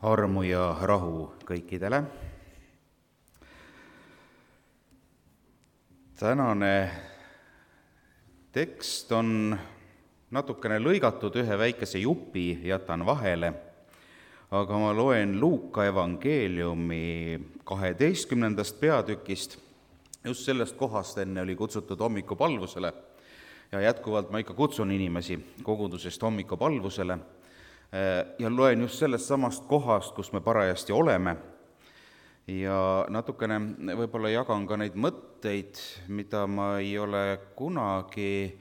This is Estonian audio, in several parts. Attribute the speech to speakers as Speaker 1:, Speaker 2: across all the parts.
Speaker 1: Armu ja rahu kõikidele. Tänane tekst on natukene lõigatud, ühe väikese jupi jätan vahele, aga ma loen Luuka evangeeliumi 12. peatükist. Just sellest kohast enne oli kutsutud hommikupalvusele ja jätkuvalt ma ikka kutsun inimesi kogudusest hommikupalvusele ja loen just sellest samast kohast, kus me parajasti oleme, ja natukene võib-olla jagan ka neid mõtteid, mida ma ei ole kunagi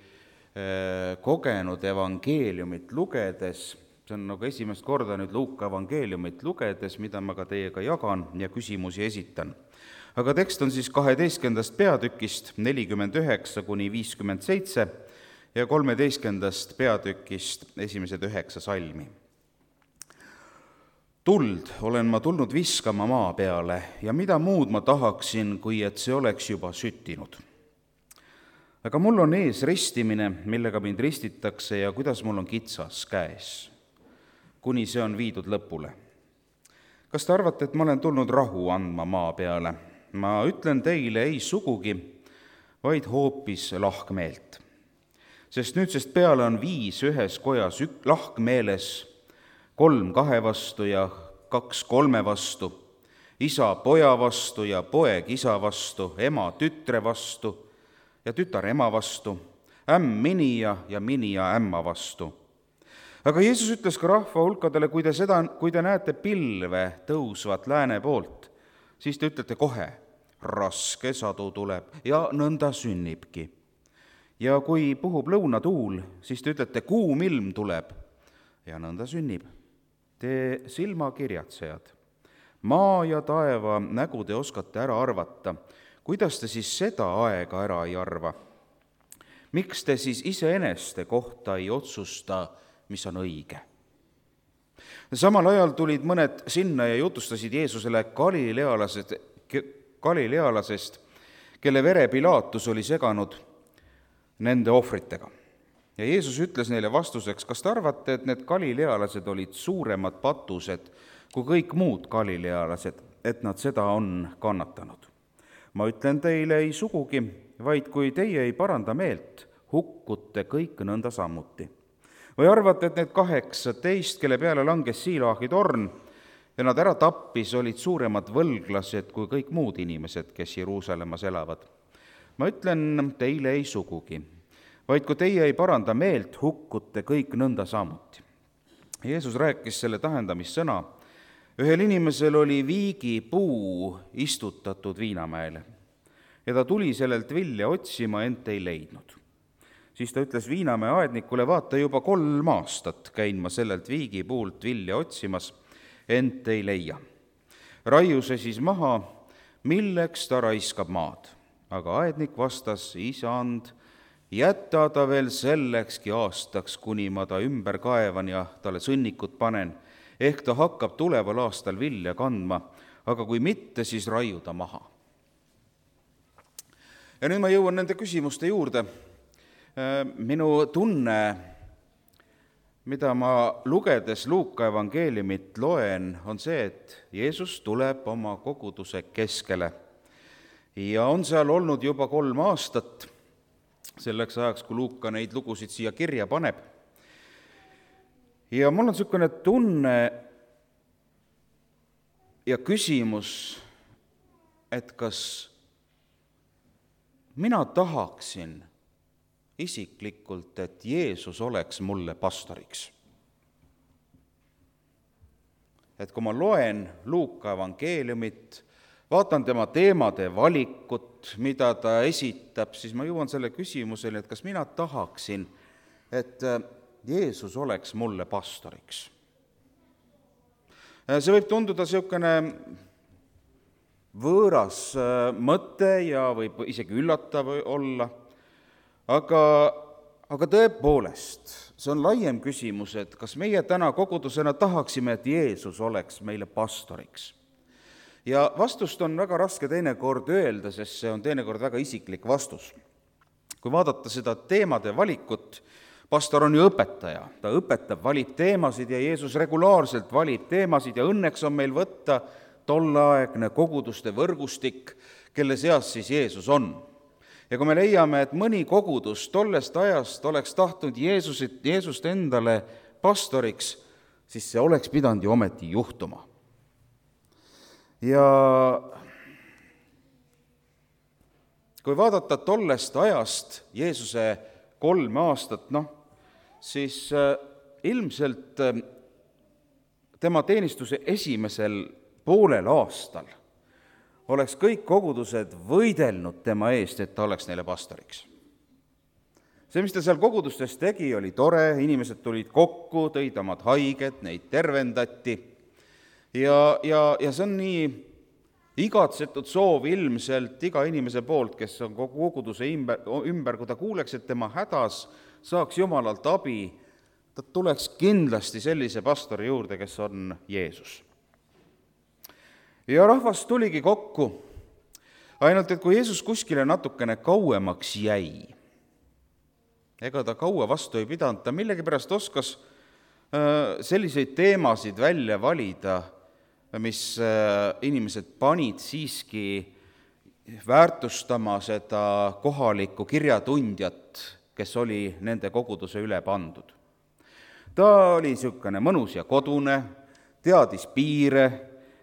Speaker 1: kogenud evangeeliumit lugedes. See on nagu esimest korda nüüd Luuka evangeeliumit lugedes, mida ma ka teiega jagan ja küsimusi esitan. Aga tekst on siis 12. peatükist 49–57 ja 13. peatükist esimesed 9 salmi. Tuld olen ma tulnud viskama maa peale ja mida muud ma tahaksin, kui et see oleks juba süttinud. Aga mul on ees ristimine, millega mind ristitakse ja kuidas mul on kitsas käes, kuni see on viidud lõpule. Kas te arvate, et ma olen tulnud rahu andma maa peale? Ma ütlen teile ei sugugi, vaid hoopis lahkmeelt. Sest nüüdsest peale on 5 ühes kojas lahkmeeles, 3 2 vastu ja 2 3 vastu, isa poja vastu ja poeg isa vastu, ema tütre vastu ja tütar ema vastu, ämm minija ja minija ämma vastu. Aga Jeesus ütles ka rahva hulkadele, kui te näete pilve tõusvat lääne poolt, siis te ütlete kohe, raske sadu tuleb ja nõnda sünnibki. Ja kui puhub lõunatuul, siis te ütlete, kuum ilm tuleb ja nõnda sünnib. Te silmakirjatsejad, maa ja taeva nägu te oskate ära arvata, kuidas te siis seda aega ära ei arva? Miks te siis iseeneste kohta ei otsusta, mis on õige? Samal ajal tulid mõned sinna ja jutustasid Jeesusele Galilealasest, kelle vere Pilaatus oli seganud nende ohvritega. Ja Jeesus ütles neile vastuseks, kas te arvate, et need galilealased olid suuremad patused kui kõik muud galilealased, et nad seda on kannatanud? Ma ütlen teile ei sugugi, vaid kui teie ei paranda meelt, hukkute kõik nõnda sammuti. Või arvate, et need 18, kelle peale langes Siilaahi torn ja nad ära tappis, olid suuremad võlglased kui kõik muud inimesed, kes Jeruusalemmas elavad? Ma ütlen teile ei sugugi, vaid kui teie ei paranda meelt, hukkute kõik nõnda samuti. Jeesus rääkis selle tähendamissõna. Ühel inimesel oli viigipuu istutatud viinamäele ja ta tuli sellelt vilja otsima, ent ei leidnud. Siis ta ütles viinamäe aednikule, vaata juba 3 aastat käin ma sellelt viigipuult vilja otsimas, ent ei leia. Raiu see siis maha, milleks ta raiskab maad? Aga aednik vastas, isand, jätta ta veel sellekski aastaks, kuni ma ta ümber kaevan ja talle sõnnikut panen, ehk ta hakkab tuleval aastal vilja kandma, aga kui mitte, siis raiu ta maha. Ja nüüd ma jõuan nende küsimuste juurde. Minu tunne, mida ma lugedes Luuka evangeeliumit loen, on see, et Jeesus tuleb oma koguduse keskele ja on seal olnud juba 3 aastat, selleks ajaks, kui Luuka neid lugusid siia kirja paneb. Ja mul on niisugune tunne ja küsimus, et kas mina tahaksin isiklikult, et Jeesus oleks mulle pastoriks. Et kui ma loen Luuka evangeeliumit, vaatan tema teemade valikut, mida ta esitab, siis ma jõuan selle küsimusele, et kas mina tahaksin, et Jeesus oleks mulle pastoriks. See võib tunduda niisugune võõras mõte ja võib isegi üllatav olla, aga tõepoolest, see on laiem küsimus, et kas meie täna kogudusena tahaksime, et Jeesus oleks meile pastoriks. Ja vastust on väga raske teinekord öelda, sest see on teinekord väga isiklik vastus. Kui vaadata seda teemade valikut, Pastor on ju õpetaja, ta õpetab, valib teemasid ja Jeesus regulaarselt valib teemasid ja õnneks on meil võtta tolleaegne koguduste võrgustik, kelle seas siis Jeesus on. Ja kui me leiame, et mõni kogudus tollest ajast oleks tahtnud Jeesust endale pastoriks, siis see oleks pidanud ju ometi juhtuma. Ja kui vaadata tollest ajast Jeesuse 3 aastat, siis ilmselt tema teenistuse esimesel poolel aastal oleks kõik kogudused võidelnud tema eest, et ta oleks neile pastoriks. See, mis ta seal kogudustes tegi, oli tore, inimesed tulid kokku, tõid omad haiged, neid tervendati ja see on nii igatsetud soov ilmselt iga inimese poolt, kes on kogu koguduse ümber, kui ta kuuleks, et tema hädas saaks Jumalalt abi, ta tuleks kindlasti sellise pastori juurde, kes on Jeesus. Ja rahvas tuligi kokku, ainult et kui Jeesus kuskile natukene kauemaks jäi, ega ta kaua vastu ei pidanud, ta millegipärast oskas selliseid teemasid välja valida, mis inimesed panid siiski väärtustama seda kohalikku kirjatundjat, kes oli nende koguduse üle pandud. Ta oli niisugune mõnus ja kodune, teadis piire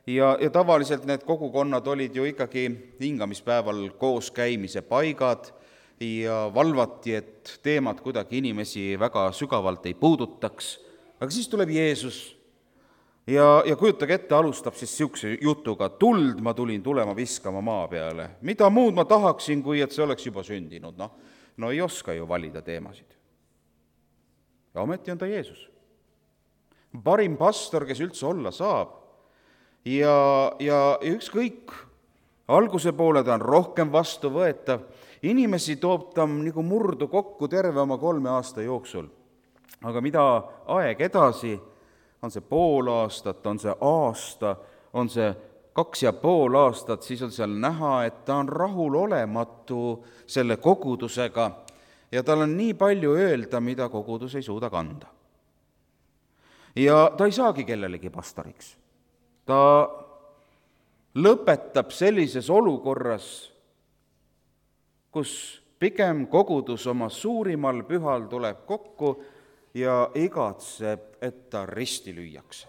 Speaker 1: ja tavaliselt need kogukonnad olid ju ikkagi hingamispäeval koos käimise paigad ja valvati, et teemad kuidagi inimesi väga sügavalt ei puudutaks. Aga siis tuleb Jeesus ja kujutage ette, alustab siis niisuguse jutuga, tuld ma tulin tulema viskama maa peale. Mida muud ma tahaksin, kui et see oleks juba sündinud? No ei oska ju valida teemasid. Ja ometi on ta Jeesus. Parim pastor, kes üldse olla saab. Ja ükskõik, alguse poole ta on rohkem vastuvõetav, inimesi toob ta nagu murdu kokku terve oma 3 aasta jooksul. Aga mida aeg edasi, on see pool aastat, on see aasta, on see 2,5 aastat, siis on seal näha, et ta on rahulolematu selle kogudusega ja tal on nii palju öelda, mida kogudus ei suuda kanda. Ja ta ei saagi kellelegi pastoriks. Ta lõpetab sellises olukorras, kus pigem kogudus oma suurimal pühal tuleb kokku ja igatseb, et ta risti lüüakse.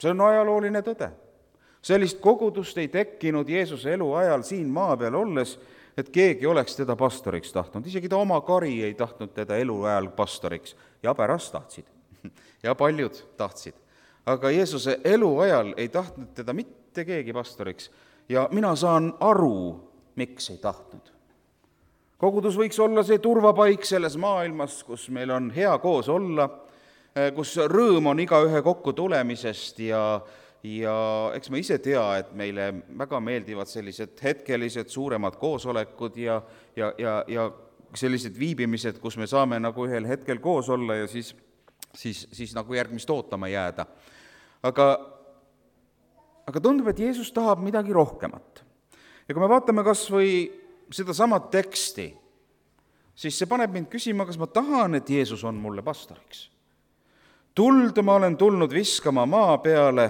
Speaker 1: See on ajalooline tõde. Sellist kogudust ei tekkinud Jeesuse eluajal siin maa peal olles, et keegi oleks teda pastoriks tahtnud. Isegi ta oma kari ei tahtnud teda eluajal pastoriks ja pärast tahtsid. Ja paljud tahtsid. Aga Jeesuse eluajal ei tahtnud teda mitte keegi pastoriks ja mina saan aru, miks ei tahtnud. Kogudus võiks olla see turvapaik selles maailmas, kus meil on hea koos olla, kus rõõm on igaühe kokku tulemisest ja eks me ise tea, et meile väga meeldivad sellised hetkelised suuremad koosolekud ja sellised viibimised, kus me saame nagu ühel hetkel koos olla ja siis nagu järgmist ootama jääda. Aga tundub, et Jeesus tahab midagi rohkemat. Ja kui me vaatame kas või seda samat teksti, siis see paneb mind küsima, kas ma tahan, et Jeesus on mulle pastoriks. Tuld ma olen tulnud viskama maa peale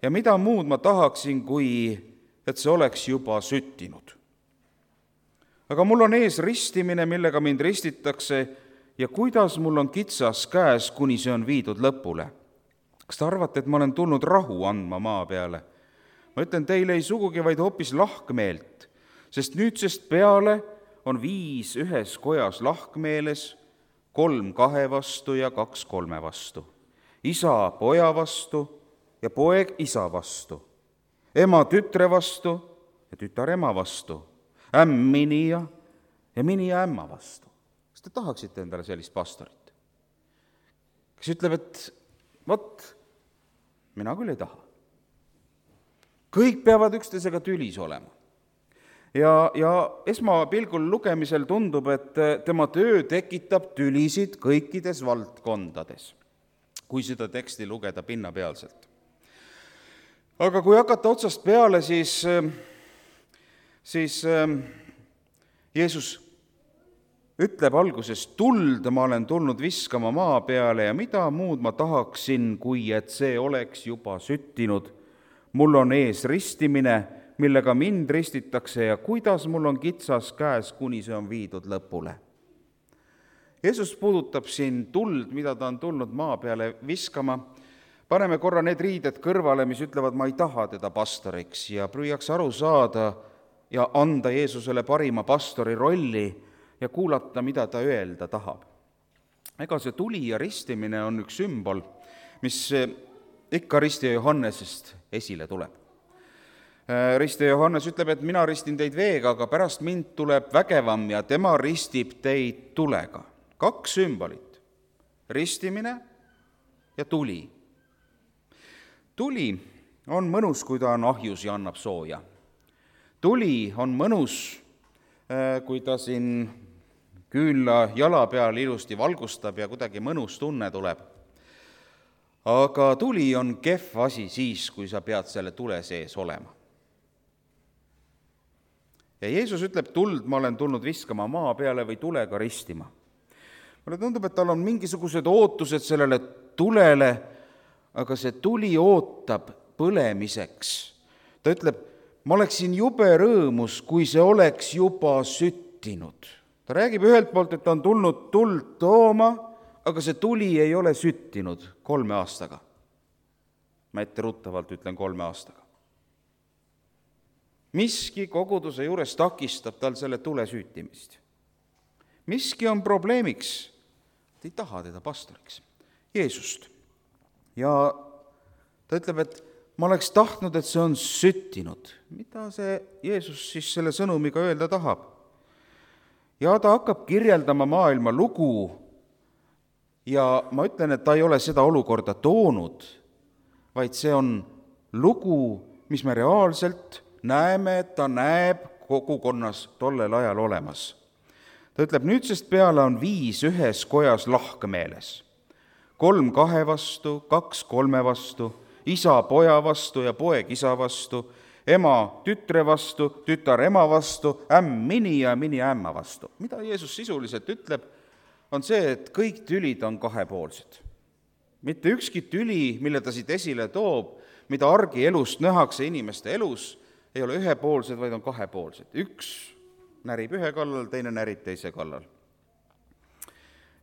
Speaker 1: ja mida muud ma tahaksin, kui et see oleks juba süttinud. Aga mul on ees ristimine, millega mind ristitakse ja kuidas mul on kitsas käes, kuni see on viidud lõpule. Kas te arvate, et ma olen tulnud rahu andma maa peale? Ma ütlen teile ei sugugi, vaid hoopis lahkmeelt, sest nüüdsest peale on 5 ühes kojas lahkmeeles, 3 2 vastu ja 2 3 vastu. Isa poja vastu ja poeg isa vastu, ema tütre vastu ja tütar ema vastu, ämm minija ja minija ämma vastu. Kas te tahaksite endale sellist pastorit? Kes ütleb, et mina küll ei taha. Kõik peavad üksteisega tülis olema. Ja esmapilgul lugemisel tundub, et tema töö tekitab tülisid kõikides valdkondades, kui seda teksti lugeda pinnapealselt. Aga kui hakata otsast peale, siis Jeesus ütleb alguses, tuld ma olen tulnud viskama maa peale ja mida muud ma tahaksin, kui et see oleks juba süttinud. Mul on ees ristimine, millega mind ristitakse ja kuidas mul on kitsas käes, kuni see on viidud lõpule. Jeesus puudutab siin tuld, mida ta on tulnud maa peale viskama. Paneme korra need riided kõrvale, mis ütlevad, ma ei taha teda pastoriks ja püüaks aru saada ja anda Jeesusele parima pastori rolli ja kuulata, mida ta öelda tahab. Ega see tuli ja ristimine on üks sümbol, mis ikka ristija Johannesest esile tuleb. Ristija Johannes ütleb, et mina ristin teid veega, aga pärast mind tuleb vägevam ja tema ristib teid tulega. 2 sümbolit, ristimine ja tuli. Tuli on mõnus, kui ta on ahjus ja annab sooja. Tuli on mõnus, kui ta siin küünla jala peal ilusti valgustab ja kuidagi mõnus tunne tuleb. Aga tuli on kehv asi siis, kui sa pead selle tule sees olema. Ja Jeesus ütleb, tuld ma olen tulnud viskama maa peale või tulega ristima. Mulle tundub, et tal on mingisugused ootused sellele tulele, aga see tuli ootab põlemiseks. Ta ütleb, ma oleksin jube rõõmus, kui see oleks juba süttinud. Ta räägib ühelt poolt, et ta on tulnud tuld tooma, aga see tuli ei ole süttinud 3 aastaga. Ma etteruttavalt ütlen 3 aastaga. Miski koguduse juures takistab tal selle tule süütimist. Miski on probleemiks, et ei taha teda pastoriks, Jeesust. Ja ta ütleb, et ma oleks tahtnud, et see on süttinud. Mida see Jeesus siis selle sõnumiga öelda tahab? Ja ta hakkab kirjeldama maailma lugu ja ma ütlen, et ta ei ole seda olukorda toonud, vaid see on lugu, mis me reaalselt näeme, et ta näeb kogukonnas tollel ajal olemas. Ta ütleb, nüüdsest peale on 5 ühes kojas lahkmeeles. 3 2 vastu, 2 3 vastu, isa poja vastu ja poeg isa vastu, ema tütre vastu, tütar ema vastu, ämm mini ja mini ämma vastu. Mida Jeesus sisuliselt ütleb, on see, et kõik tülid on kahepoolsed. Mitte ükski tüli, mille ta siit esile toob, mida argielust nähakse inimeste elus, ei ole ühepoolsed, vaid on kahepoolsed. Üks närib ühe kallal, teine närib teise kallal.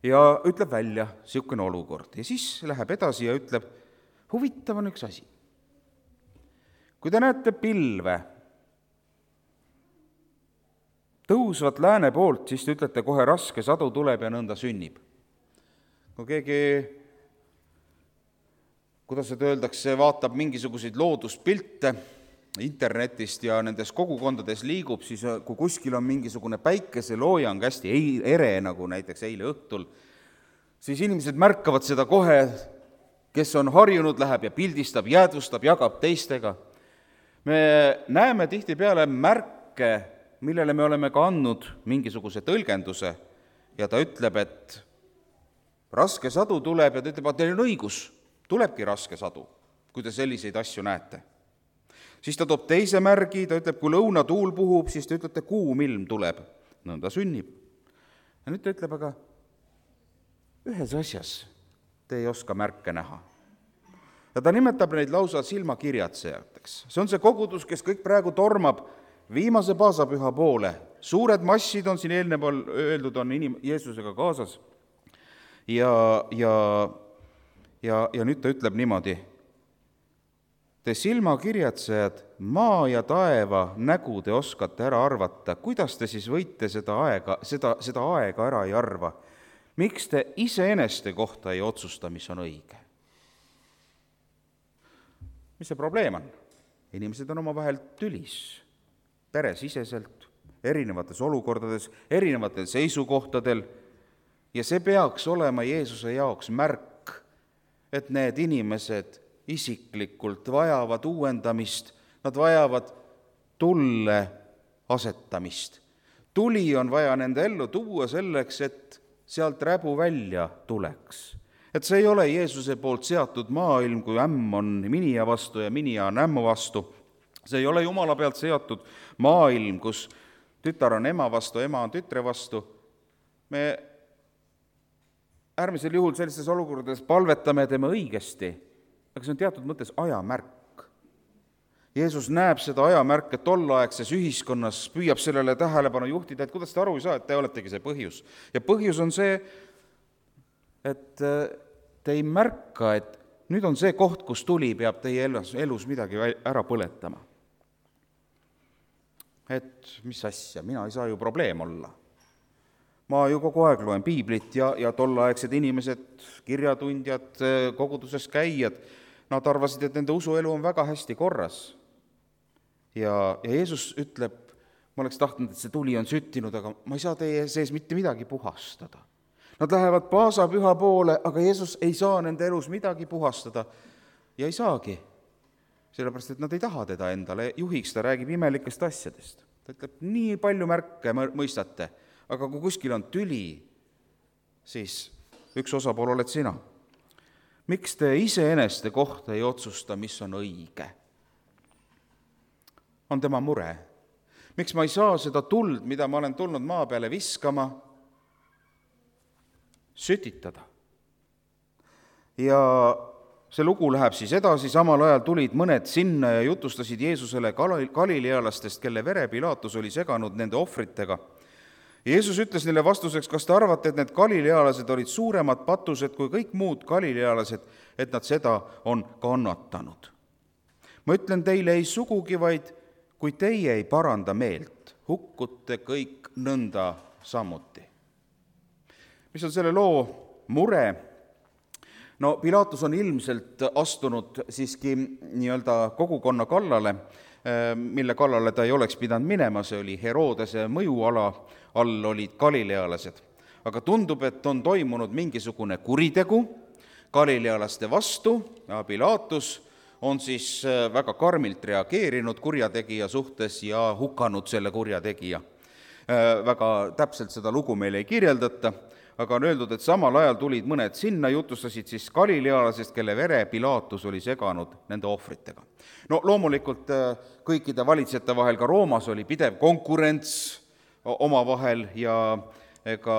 Speaker 1: Ja ütleb välja niisugune olukord. Ja siis läheb edasi ja ütleb, huvitav on üks asi. Kui te näete pilve tõusvat lääne poolt, siis te ütlete kohe raske sadu tuleb ja nõnda sünnib. Kui keegi, kuidas seda öeldakse, vaatab mingisuguseid looduspilte internetist ja nendes kogukondades liigub, siis kui kuskil on mingisugune päikeseloojang hästi ere, nagu näiteks eile õhtul, siis inimesed märkavad seda kohe, kes on harjunud, läheb ja pildistab, jäädvustab, jagab teistega. Me näeme tihtipeale märke, millele me oleme ka andnud mingisuguse tõlgenduse ja ta ütleb, et raske sadu tuleb ja ta ütleb, et teil on õigus, tulebki raske sadu, kui te selliseid asju näete. Siis ta toob teise märgi, ta ütleb, kui lõunatuul puhub, siis te ütlete, kuum ilm tuleb. Nõnda sünnib. Ja nüüd ta ütleb, aga ühes asjas te ei oska märke näha. Ja ta nimetab neid lausa silmakirjatsejateks. See on see kogudus, kes kõik praegu tormab viimase paasapüha poole. Suured massid on siin eelneval öeldud, on Jeesusega kaasas. Ja nüüd ta ütleb niimoodi, te silmakirjatsejad, maa ja taeva nägu te oskate ära arvata, kuidas te siis võite seda aega ära ei arva? Miks te iseeneste kohta ei otsusta, mis on õige? Mis see probleem on? Inimesed on omavahel tülis, peresiseselt, erinevates olukordades, erinevatel seisukohtadel ja see peaks olema Jeesuse jaoks märk, et need inimesed isiklikult vajavad uuendamist, nad vajavad tulle asetamist. Tuli on vaja nende ellu tuua selleks, et sealt räbu välja tuleks. Et see ei ole Jeesuse poolt seatud maailm, kui ämm on minija vastu ja minija on ämmu vastu. See ei ole Jumala pealt seatud maailm, kus tütar on ema vastu, ema on tütre vastu, Me äärmisel juhul sellistes olukordades palvetame ja teeme õigesti, aga see on teatud mõttes ajamärk. Jeesus näeb seda ajamärke tolleaegses ühiskonnas, püüab sellele tähelepanu juhtida, et kuidas te aru ei saa, et te oletegi see põhjus. Ja põhjus on see, et te ei märka, et nüüd on see koht, kus tuli peab teie elus midagi ära põletama. Et mis asja, mina ei saa ju probleem olla. Ma ju kogu aeg loen piiblit ja tolleaegsed inimesed, kirjatundjad, koguduses käijad, nad arvasid, et nende usuelu on väga hästi korras. Ja Jeesus ütleb, ma oleks tahtnud, et see tuli on süttinud, aga ma ei saa teie sees mitte midagi puhastada. Nad lähevad paasapüha poole, aga Jeesus ei saa nende elus midagi puhastada ja ei saagi. Sellepärast, et nad ei taha teda endale juhiks, ta räägib imelikest asjadest. Ta ütleb, nii palju märke mõistate, aga kui kuskil on tüli, siis üks osapool oled sina. Miks te iseeneste kohta ei otsusta, mis on õige? On tema mure. Miks ma ei saa seda tuld, mida ma olen tulnud maa peale viskama, sütitada? Ja see lugu läheb siis edasi, samal ajal tulid mõned sinna ja jutustasid Jeesusele galilealastest, kelle vere Pilaatus oli seganud nende ohvritega. Jeesus ütles neile vastuseks, kas te arvate, et need galilealased olid suuremad patused kui kõik muud galilealased, et nad seda on kannatanud? Ma ütlen teile ei sugugi, vaid kui teie ei paranda meelt, hukkute kõik nõnda samuti. Mis on selle loo mure? No Pilaatus on ilmselt astunud siiski nii-öelda kogukonna kallale, mille kallale ta ei oleks pidanud minema, see oli Herodese mõjuala, all olid galilealased. Aga tundub, et on toimunud mingisugune kuritegu galilealaste vastu ja Pilaatus on siis väga karmilt reageerinud kurjategija suhtes ja hukanud selle kurjategija. Väga täpselt seda lugu meile ei kirjeldata, aga on öeldud, et samal ajal tulid mõned sinna, jutustasid siis galilealasest, kelle vere Pilaatus oli seganud nende ohvritega. No loomulikult kõikide valitsejate vahel, ka Roomas oli pidev konkurents omavahel ja ega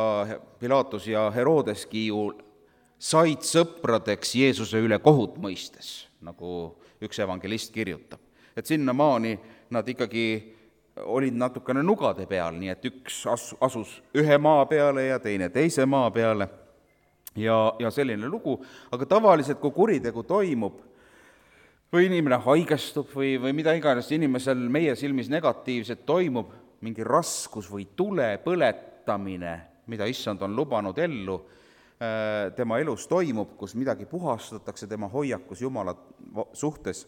Speaker 1: Pilaatus ja Herodeski ju said sõpradeks Jeesuse üle kohut mõistes, nagu üks evangelist kirjutab. Et sinnamaani nad ikkagi olid natukene nugade peal, nii et üks asus ühe maa peale ja teine teise maa peale ja selline lugu. Aga tavaliselt, kui kuritegu toimub või inimene haigestub või mida iganes inimesel meie silmis negatiivset toimub, mingi raskus või tule põletamine, mida issand on lubanud ellu, tema elus toimub, kus midagi puhastatakse tema hoiakus Jumala suhtes,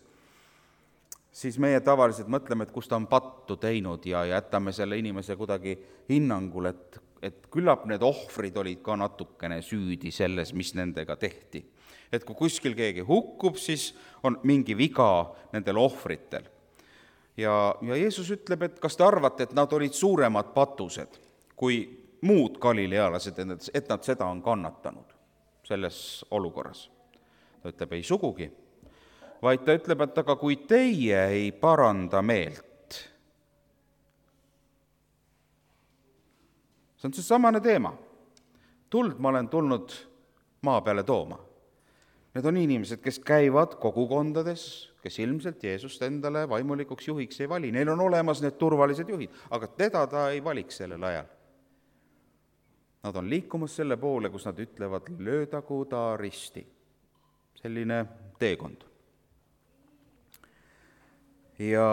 Speaker 1: siis meie tavaliselt mõtleme, et kus ta on pattu teinud ja jätame selle inimese kuidagi hinnangul, et küllap need ohvrid olid ka natukene süüdi selles, mis nendega tehti. Et kui kuskil keegi hukkub, siis on mingi viga nendel ohvritel. Ja Jeesus ütleb, et kas te arvate, et nad olid suuremad patused kui muud galilealased, et nad seda on kannatanud selles olukorras. Ta ütleb, ei sugugi, vaid ta ütleb, et aga kui teie ei paranda meelt. See on see samane teema. Tuld ma olen tulnud maa peale tooma. Need on inimesed, kes käivad kogukondades, kes ilmselt Jeesust endale vaimulikuks juhiks ei vali. Neil on olemas need turvalised juhid, aga teda ta ei valiks sellel ajal. Nad on liikumas selle poole, kus nad ütlevad, löödagu ta risti. Selline teekond. Ja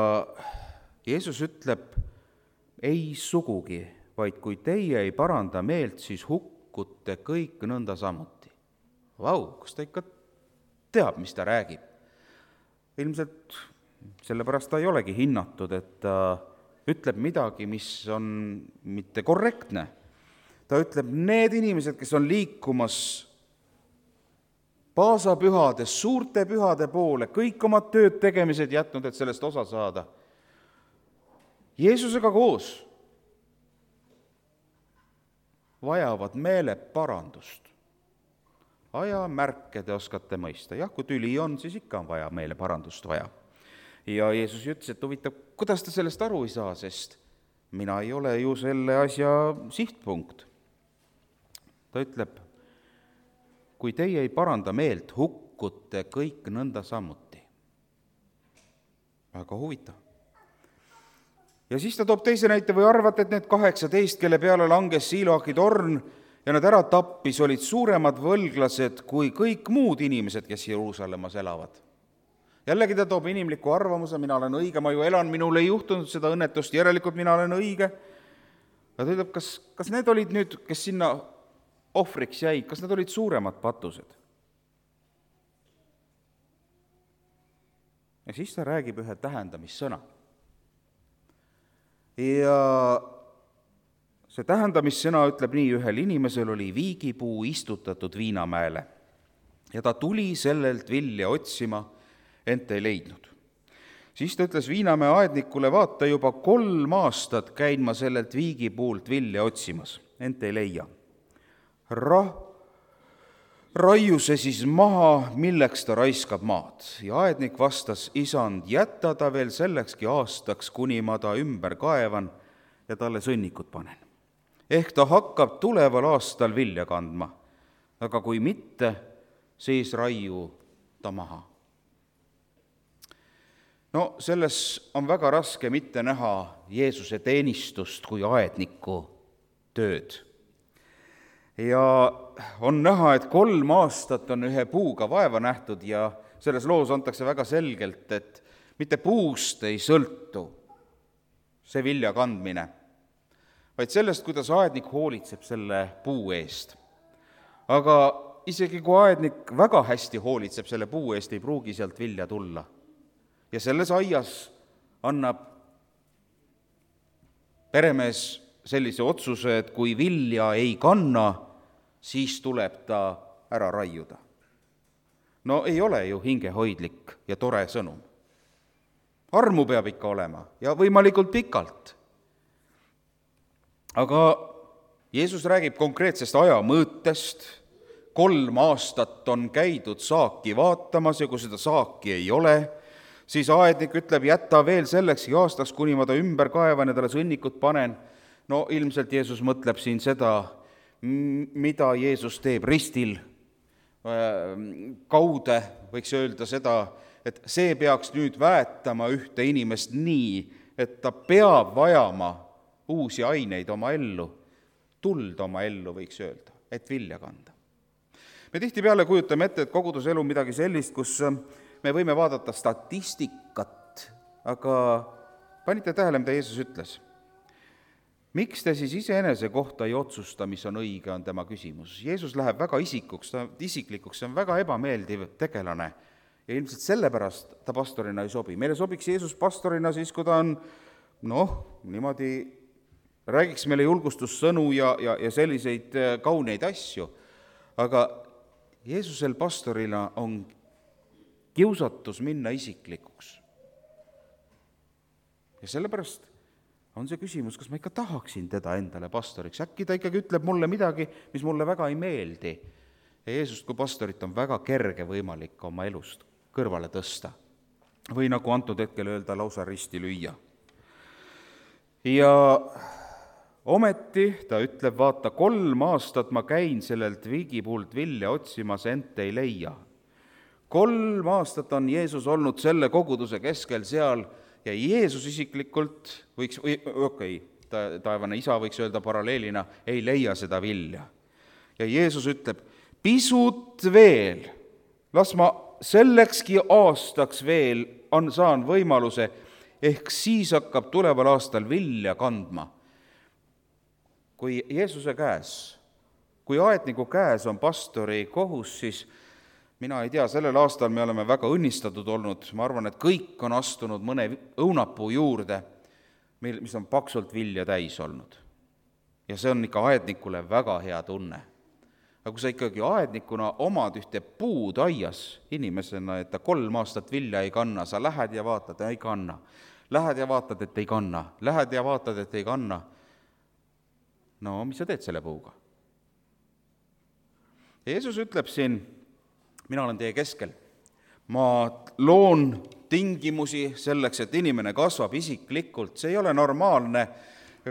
Speaker 1: Jeesus ütleb, ei sugugi, vaid kui teie ei paranda meelt, siis hukkute kõik nõnda samuti. Vau, kas ta ikka teab, mis ta räägib? Ilmselt sellepärast ta ei olegi hinnatud, et ta ütleb midagi, mis on mitte korrektne. Ta ütleb, need inimesed, kes on liikumas paasapühades, suurte pühade poole, kõik oma tööd tegemised jätnud, et sellest osa saada. Jeesusega koos vajavad meeleparandust. Ajamärke te oskate mõista. Jah, kui tüli on, siis ikka on vaja meeleparandust vaja. Ja Jeesus ütles, et huvitav, kuidas ta sellest aru ei saa, sest mina ei ole ju selle asja sihtpunkt. ta ütleb, kui teie ei paranda meelt, hukkute kõik nõnda samuti. Väga huvitav. Ja siis ta toob teise näite, või arvate, et need 18, kelle peale langes Siloahi torn ja nad ära tappis, olid suuremad võlglased kui kõik muud inimesed, kes Jeruusalemmas elavad. Jällegi ta toob inimliku arvamuse, mina olen õige, ma ju elan, minul ei juhtunud seda õnnetust, järelikult mina olen õige. Ja ta ütleb, kas need olid nüüd, kes sinna ohvriks jäid, kas need olid suuremad patused? Ja siis ta räägib ühe tähendamissõna. Ja see tähendamissõna ütleb nii, ühel inimesel oli viigipuu istutatud viinamäele ja ta tuli sellelt vilja otsima, ent ei leidnud. Siis ta ütles viinamäe aednikule, vaata, juba 3 aastat käin ma sellelt viigipuult vilja otsimas, ent ei leia. Raiu see siis maha, milleks ta raiskab maad. Ja aednik vastas, isand, jätta ta veel sellekski aastaks, kuni ma ta ümber kaevan ja talle sõnnikut panen. Ehk ta hakkab tuleval aastal vilja kandma, aga kui mitte, siis raiu ta maha. No selles on väga raske mitte näha Jeesuse teenistust kui aedniku tööd. Ja on näha, et 3 aastat on ühe puuga vaeva nähtud ja selles loos antakse väga selgelt, et mitte puust ei sõltu see vilja kandmine, vaid sellest, kuidas aednik hoolitseb selle puu eest. Aga isegi kui aednik väga hästi hoolitseb selle puu eest, ei pruugi sealt vilja tulla. Ja selles aias annab peremees sellise otsuse, et kui vilja ei kanna, siis tuleb ta ära raiuda. No ei ole ju hingehoidlik ja tore sõnum. Armu peab ikka olema ja võimalikult pikalt. Aga Jeesus räägib konkreetsest ajamõõtest. 3 aastat on käidud saaki vaatamas ja kui seda saaki ei ole, siis aednik ütleb, jätta veel selleks aastaks, kuni ma ta ümber kaevan ja talle sõnnikut panen. No ilmselt Jeesus mõtleb siin seda, mida Jeesus teeb ristil. Kaude võiks öelda seda, et see peaks nüüd väetama ühte inimest nii, et ta peab vajama uusi aineid oma ellu, tuld oma ellu võiks öelda, et vilja kanda. Me tihtipeale kujutame ette, et koguduselu on midagi sellist, kus me võime vaadata statistikat, aga panite tähele, mida Jeesus ütles? Miks te siis iseenese kohta ei otsusta, mis on õige, on tema küsimus. Jeesus läheb väga isiklikuks, see on väga ebameeldiv tegelane ja ilmselt sellepärast ta pastorina ei sobi. Meile sobiks Jeesus pastorina siis, kui ta on, niimoodi räägiks meile julgustussõnu ja selliseid kauneid asju. Aga Jeesusel pastorina on kiusatus minna isiklikuks. Ja sellepärast on see küsimus, kas ma ikka tahaksin teda endale pastoriks. Äkki ta ikkagi ütleb mulle midagi, mis mulle väga ei meeldi. Ja Jeesust kui pastorit on väga kerge võimalik oma elust kõrvale tõsta. Või nagu antud hetkel öelda, lausa risti lüüa. Ja ometi ta ütleb, vaata, 3 aastat ma käin sellelt viigipuult vilja otsimas, ent ei leia. 3 aastat on Jeesus olnud selle koguduse keskel seal ja Jeesus isiklikult võiks, taevane isa võiks öelda paralleelina, ei leia seda vilja. Ja Jeesus ütleb, pisut veel, las ma sellekski aastaks veel saan võimaluse, ehk siis hakkab tuleval aastal vilja kandma. Kui Jeesuse käes, kui aedniku käes on pastori kohus, siis mina ei tea, sellel aastal me oleme väga õnnistatud olnud, ma arvan, et kõik on astunud mõne õunapuu juurde, mis on paksult vilja täis olnud. Ja see on ikka aednikule väga hea tunne. Aga kui sa ikkagi aednikuna omad ühte puud aias inimesena, et ta 3 aastat vilja ei kanna, sa lähed ja vaatad, ei kanna. Lähed ja vaatad, et ei kanna. Lähed ja vaatad, et ei kanna. No, mis sa teed selle puuga? Jeesus ütleb siin, mina olen teie keskel. Ma loon tingimusi selleks, et inimene kasvab isiklikult. See ei ole normaalne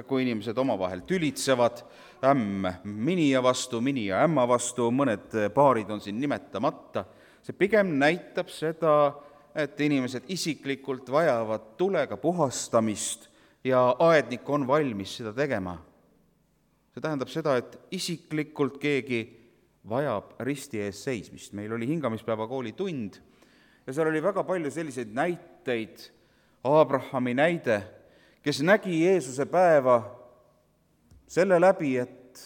Speaker 1: kui inimesed omavahel tülitsevad, ämm minija vastu, minija ämma vastu, mõned paarid on siin nimetamata, see pigem näitab seda, et inimesed isiklikult vajavad tulega puhastamist ja aednik on valmis seda tegema. See tähendab seda, et isiklikult keegi vajab risti ees seismist. Meil oli hingamispäeva kooli tund ja seal oli väga palju selliseid näiteid, Abrahami näide, kes nägi Jeesuse päeva selle läbi, et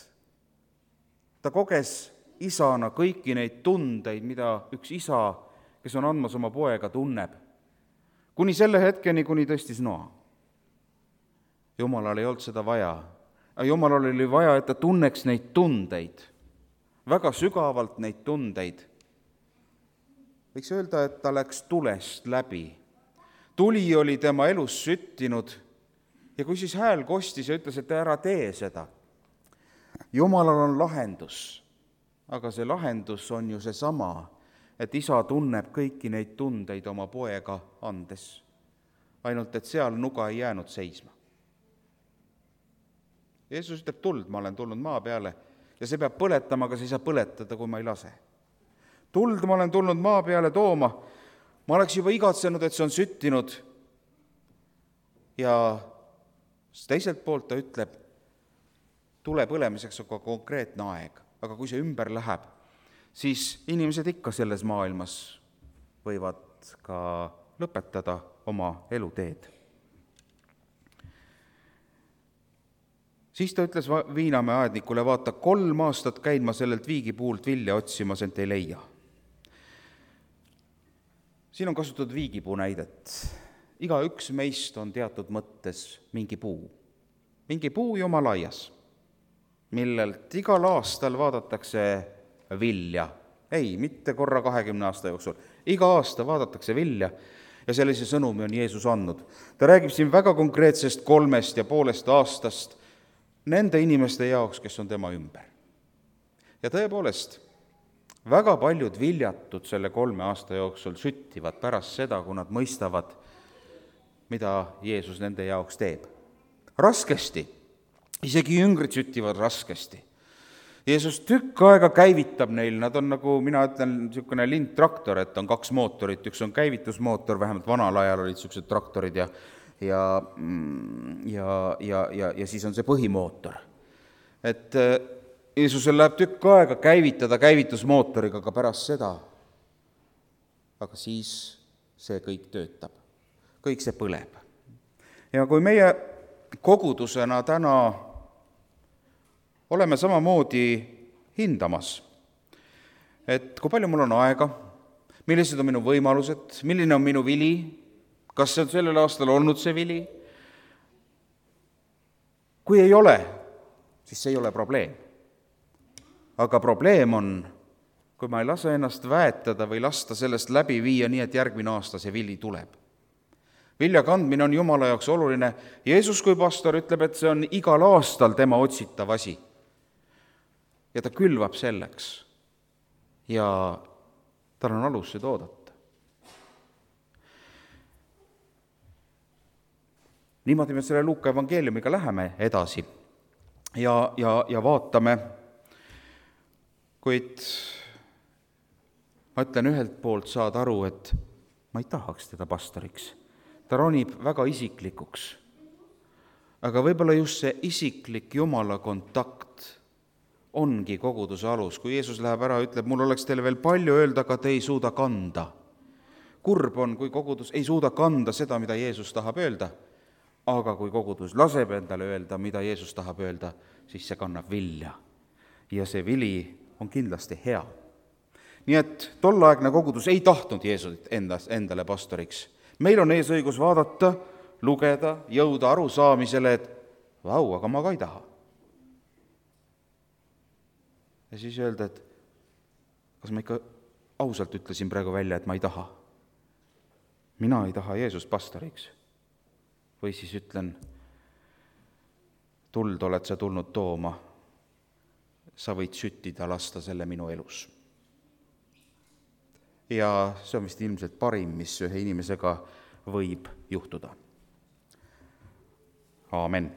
Speaker 1: ta koges isana kõiki neid tundeid, mida üks isa, kes on andmas oma poega, tunneb. Kuni selle hetkeni, kuni tõstis noa. Jumalal ei olnud seda vaja. Jumalal oli vaja, et ta tunneks neid tundeid, väga sügavalt neid tundeid. Võiks öelda, et ta läks tulest läbi. Tuli oli tema elus süttinud ja kui siis hääl kostis ja ütles, et ära tee seda. Jumalal on lahendus, aga see lahendus on ju seesama, et isa tunneb kõiki neid tundeid oma poega andes. Ainult, et seal nuga ei jäänud seisma. Jeesus ütleb, tuld, ma olen tulnud maa peale ja see peab põletama, aga see ei saa põletada, kui ma ei lase. Tuld ma olen tulnud maa peale tooma, ma oleks juba igatsenud, et see on süttinud. Ja teiselt poolt ta ütleb, tule põlemiseks on ka konkreetne aeg, aga kui see ümber läheb, siis inimesed ikka selles maailmas võivad ka lõpetada oma eluteed. Siis ta ütles Viinamäe aednikule, vaata, 3 aastat käin ma sellelt viigipuult vilja otsimas, ent ei leia. Siin on kasutatud viigipuu näidet. Iga üks meist on teatud mõttes mingi puu. Mingi puu juma laias, millelt igal aastal vaadatakse vilja. Ei, mitte korra 20 aasta jooksul. Iga aasta vaadatakse vilja ja sellise sõnumi on Jeesus andnud. Ta räägib siin väga konkreetsest 3,5 aastast nende inimeste jaoks, kes on tema ümber. Ja tõepoolest, väga paljud viljatud selle 3 aasta jooksul süttivad pärast seda, kui nad mõistavad, mida Jeesus nende jaoks teeb. Raskesti, isegi jüngrid süttivad raskesti. Jeesus tükk aega käivitab neil, nad on nagu, mina ütlen, niisugune lindtraktor, et on 2 mootorit, üks on käivitusmootor, vähemalt vanal ajal olid niisugused traktorid ja siis on see põhimootor. Et Jeesusel läheb tükk aega käivitada käivitusmootoriga ka pärast seda, aga siis see kõik töötab, kõik see põleb. Ja kui meie kogudusena täna oleme samamoodi hindamas, et kui palju mul on aega, millised on minu võimalused, milline on minu vili, kas see on sellel aastal olnud see vili? Kui ei ole, siis see ei ole probleem. Aga probleem on, kui ma ei lase ennast väetada või lasta sellest läbi viia nii, et järgmine aasta see vili tuleb. Vilja kandmine on Jumala jaoks oluline. Jeesus kui pastor ütleb, et see on igal aastal tema otsitav asi. Ja ta külvab selleks. Ja tal on alus seda oodata. Niimoodi me selle Luuka evangeeliumiga läheme edasi ja vaatame, kuid ma ütlen ühelt poolt saad aru, et ma ei tahaks teda pastoriks. Ta ronib väga isiklikuks. Aga võib-olla just see isiklik Jumala kontakt ongi koguduse alus. Kui Jeesus läheb ära, ütleb, mul oleks teile veel palju öelda, aga te ei suuda kanda. Kurb on, kui kogudus ei suuda kanda seda, mida Jeesus tahab öelda. Aga kui kogudus laseb endale öelda, mida Jeesus tahab öelda, siis see kannab vilja. Ja see vili on kindlasti hea. Nii et tolleaegne kogudus ei tahtnud Jeesust endale pastoriks. Meil on eesõigus vaadata, lugeda, jõuda arusaamisele, et vau, aga ma ka ei taha. Ja siis öelda, et kas ma ikka ausalt ütlesin praegu välja, et ma ei taha. Mina ei taha Jeesust pastoriks. Või siis ütlen, tuld oled sa tulnud tooma, sa võid süttida, lasta selle minu elus. Ja see on vist ilmselt parim, mis ühe inimesega võib juhtuda. Aamen.